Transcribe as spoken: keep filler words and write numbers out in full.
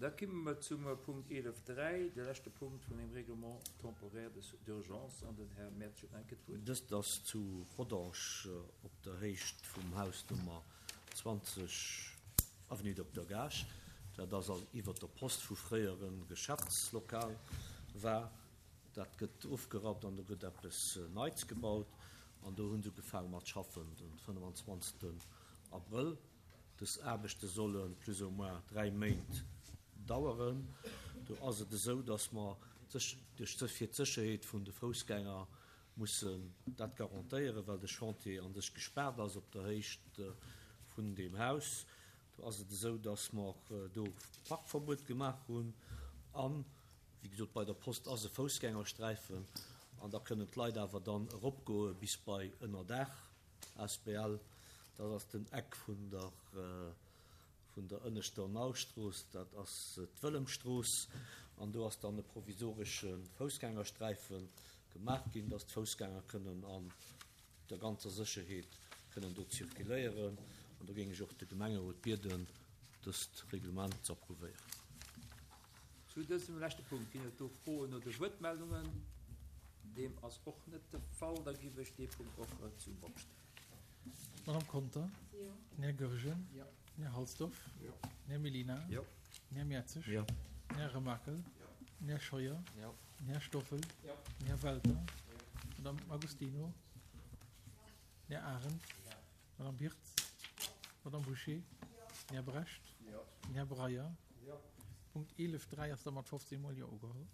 Da komme mer zum Punkt eelef dräi, de leschte Punkt vun dem Règlement temporaire d'urgence, an den Här Mertsch huet nach eng Kéier d'Wuert. Dëst ass zu Rodange op der Héicht vum Haus Nummer zwanzeg, Avenue Docteur Gaasch. Dat ass also iwwert der Post, wou fréier e Geschäftslokal war. Dat gëtt ofgerappt an do gëtt eppes Neits gebaut. An do hu se ugefaange mat schaffen den fënnwanzwanzegsten Abrëll. Dës Aarbechte solle plus ou moins dräi Méint daueren. Do ass et esou, datt mer fir d'Sécherheet vun de Foussgänger mussen dat garantéieren, well de Chantier a sech gespaart ass op der Héicht vun deem Haus. Do ass et esou, datt mer do Parkverbuet gemaach hunn an, wéi gesot, bei der Post ass e Foussgängersträifen an da kënnen d'Leit awer dann eropgoe bis bei Ënnerdaach asbl. Dat ass den Eck vun der vun der ënneschter Naustrooss, dat ass d'Wëllemstrooss, an do ass dann e provisoresche Foussgängersträife gemaach ginn, dass d'Foussgänger kënnen an der ganzer Sécherheet kënnen do zirkuléieren. An do géing ech och de Gemengerot bieden, dëst Reglement ze approuvéieren. Zu dësem leschte Punkt, ginn et do Froen oder Wuertmeldungen? Deem ass och net de Fall. Da giff ech dee Punkt och zum Vott stellen. Madame Conter? Jo. Den Här Goergen? Jo. Den Här Halsdorf? Jo. Den Här Mellina? Jo. Den Här Mertzig? Jo. Den Här Remakel? Jo. Den Här Scheuer? Jo. Den Här Stoffel? Jo. Den Här Welter? Jo. Madame Agostino? Den Här Arendt? Jo. Madame Birtz? Madame Bouché? Jo. Den Här Brecht? Jo. Den Här Breyer? Jo. Punkt eelef dräi ass da mat fofzéng Mol Jo ugeholl.